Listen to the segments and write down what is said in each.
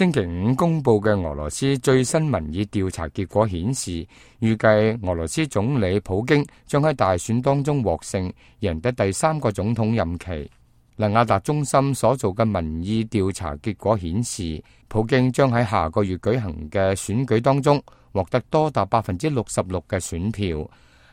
星期五公布嘅俄羅斯最新民意調查結果顯示，預計俄羅斯總理普京將喺大選當中獲勝，贏得第3個總統任期。亞達中心所做嘅民意調查結果顯示，普京將喺下個月舉行嘅選舉當中獲得多達66%嘅選票。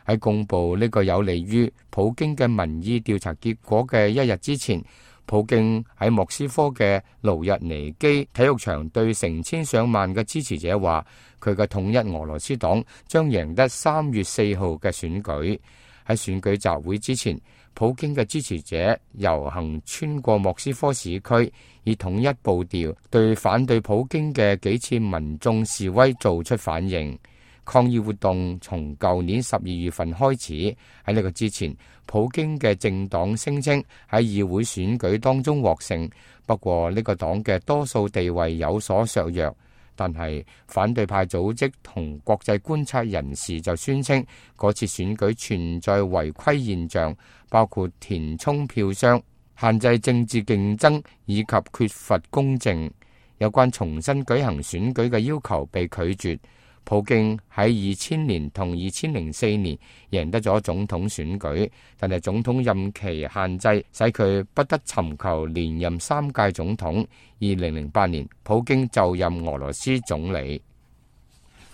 喺公布呢個有利於普京嘅民意調查結果嘅一日之前，普京喺莫斯科嘅盧日尼基體育場對成千上萬嘅支持者話，佢嘅統一俄羅斯黨將贏得3月4號嘅選舉。喺選舉集會之前，普京嘅支持者遊行穿過莫斯科市區，以統一步調對反對普京嘅幾次民眾示威做出反應。抗議活動從舊年12月份開始。喺呢個之前，普京嘅政黨聲稱喺議會選舉當中獲勝，不過呢個黨嘅多數地位有所削弱。但係反對派組織同國際觀察人士就宣稱，嗰次選舉存在違規現象，包括填充票箱、限制政治競爭以及缺乏公正。有關重新舉行選舉嘅要求被拒絕。普京喺2000年同2004年贏得咗總統選舉，但係總統任期限制使佢不得尋求連任3屆總統。2008年，普京就任俄羅斯總理。